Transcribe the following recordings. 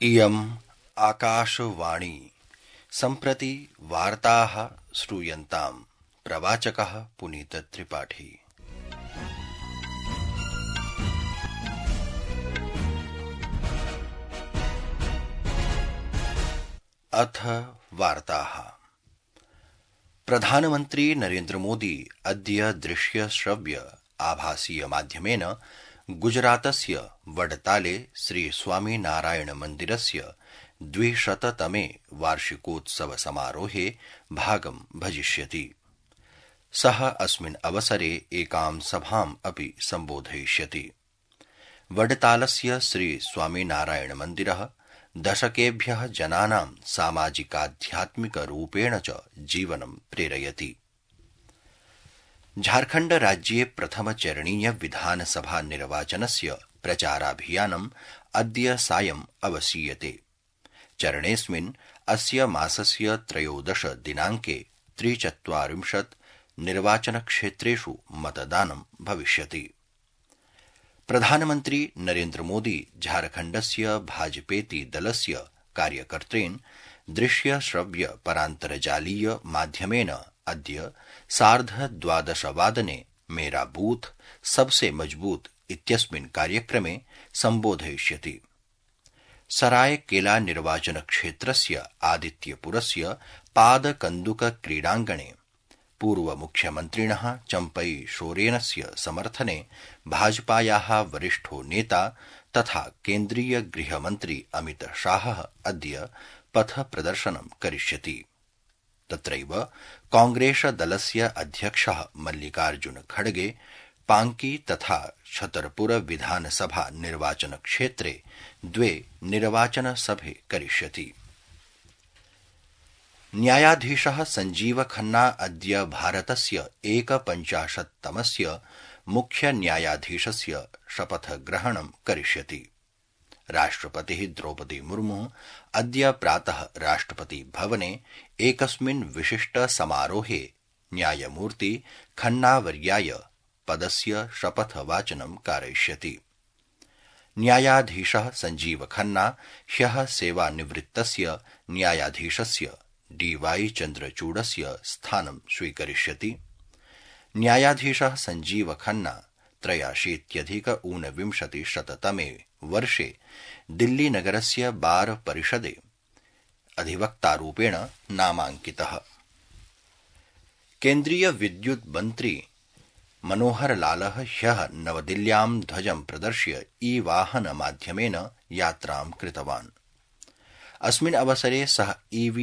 इयम् आकाशवाणी सम्प्रति वार्ताः श्रूयन्ताम्। प्रवाचकः पुनीत त्रिपाठी। अथ वार्ताः। प्रधानमन्त्री नरेन्द्र मोदी अद्य दृश्य श्रव्य आभासीय माध्यमेन गुजरातस्य वडताले श्री स्वामिनारायण मन्दिरस्य 200तमे वार्षिकोत्सव समारोहे भागं भजिष्यति। सः अस्मिन् अवसरे एकां सभाम् अपि सम्बोधयिष्यति। वडतालस्य श्री स्वामिनारायण मन्दिरः दशकेभ्यः जनानां सामाजिकाध्यात्मिकरूपेण च जीवनं प्रेरयति। झारखण्ड राज्ये प्रथमचरणीय विधानसभा निर्वाचनस्य प्रचाराभियानम् अद्य सायम् अवसीयते। चरणेऽस्मिन् अस्य मासस्य 13 दिनाङ्के 43 निर्वाचनक्षेत्रेषु मतदानं भविष्यति। प्रधानमन्त्री नरेन्द्र मोदी झारखण्डस्य भाजपेति दलस्य कार्यकर्तॄन् दृश्य श्रव्य परान्तर्जालीय माध्यमेन अद्य 12:30 मेरा बूथ सबसे मजबूत इत्यस्मिन् कार्यक्रमे सम्बोधयिष्यति। सरायकेला निर्वाचनक्षेत्रस्य आदित्यपुरस्य पादकन्दुक क्रीडाङ्गणे पूर्वमुख्यमन्त्रिणः चम्पई सोरेनस्य समर्थने भाजपायाः वरिष्ठो नेता तथा केन्द्रीय गृहमन्त्री अमित शाहः अद्य पथप्रदर्शनं करिष्यति। तत्रैव कांग्रेसदलस्य अध्यक्षः मल्लिकार्जुन खड़गे पांकी तथा छतरपुर विधानसभा निर्वाचनक्षेत्रे 2 निर्वाचनसभे करिष्यति। न्यायाधीशः संजीव खन्ना अद्य भारतस्य 51तमस्य मुख्यन्यायाधीशस्य शपथग्रहणं करिष्यति। राष्ट्रपतिः द्रौपदी मुर्मु अद्य प्रातः राष्ट्रपति भवने एकस्मिन् विशिष्ट समारोहे न्यायमूर्ति खन्नावर्याय पदस्य शपथवाचनं कारयिष्यति। न्यायाधीशः संजीव खन्ना ह्यः सेवानिवृत्तस्य न्यायाधीशस्य DY चन्द्रचूडस्य स्थानं स्वीकरिष्यति। न्यायाधीशः संजीव खन्ना 83-ऊनविंशतिशततमे वर्षे दिल्लीनगरस्य बार परिषदे अधिवक्तारूपेण नामाङ्कितः। केन्द्रीय विद्युत् मन्त्री मनोहरलालः ह्यः नवदिल्ल्यां ध्वजं प्रदर्श्य ई-वाहनमाध्यमेन यात्रां कृतवान्। अस्मिन् अवसरे सः EV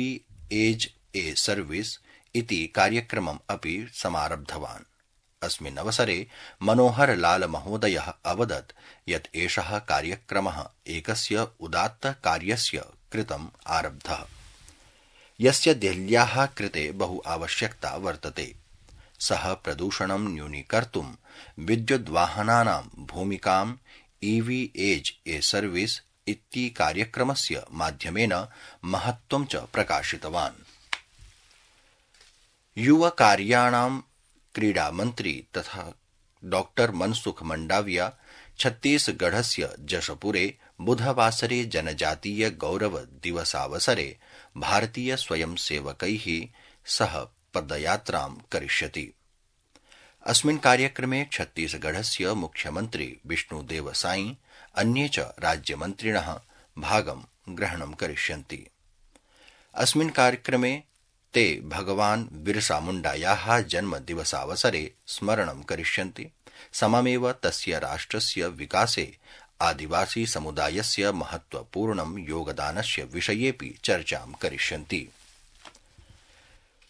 एज् ए सर्विस् इति कार्यक्रमम् अपि समारब्धवान्। अस्मिन् अवसरे मनोहरलाल महोदयः अवदत् यत् एषः कार्यक्रमः एकस्य उदात्तकार्यस्य कृतम् आरब्धः, यस्य देहल्याः कृते बहु आवश्यकता वर्तते। सः प्रदूषणं न्यूनीकर्तुं विद्युद्वाहनानां भूमिकां EV एज् ए सर्विस् इति कार्यक्रमस्य माध्यमेन महत्त्वं च प्रकाशितवान्। युवकार्याणां क्रीडामन्त्री तथा डॉ मनसुख मंडाविया छत्तीसगढ़स्य जशपुरे बुधवासरे जनजातीय गौरव दिवसावसरे भारतीय स्वयंसेवकैः सह पदयात्रां करिष्यति। अस्मिन् कार्यक्रमे छत्तीसगढ़स्य मुख्यमन्त्री विष्णुदेव साई अन्ये च राज्यमन्त्रिणः भागं ग्रहणं करिष्यन्ति। अस्मिन् कार्यक्रमे ते भगवान् बिरसा मुण्डायाः जन्मदिवसावसरे स्मरणं करिष्यन्ति। सममेव तस्य राष्ट्रस्य विकासे आदिवासी समुदायस्य महत्त्वपूर्णं योगदानस्य विषयेऽपि चर्चां करिष्यन्ति।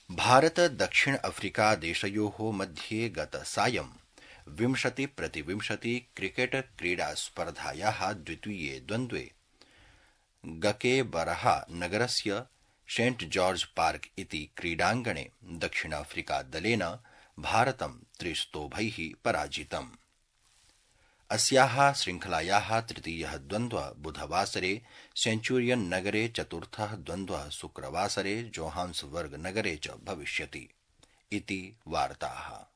भारत दक्षिण अफ्रीका देशयोः मध्ये गतसायं 20-20 क्रिकेट क्रीडास्पर्धायाः द्वितीये द्वन्द्वे गकेबरहा नगरस्य सेंट जॉर्ज पार्क इति क्रीडाङ्गणे दक्षिणाफ्रिकादलेन भारतं 3-0 पराजितम्। अस्याः श्रृङ्खलायाः तृतीयः द्वन्द्वः बुधवासरे सेंचुरियन नगरे, चतुर्थः द्वन्द्वः शुक्रवासरे जोहान्सबर्ग नगरे च भविष्यति इति वार्ताः।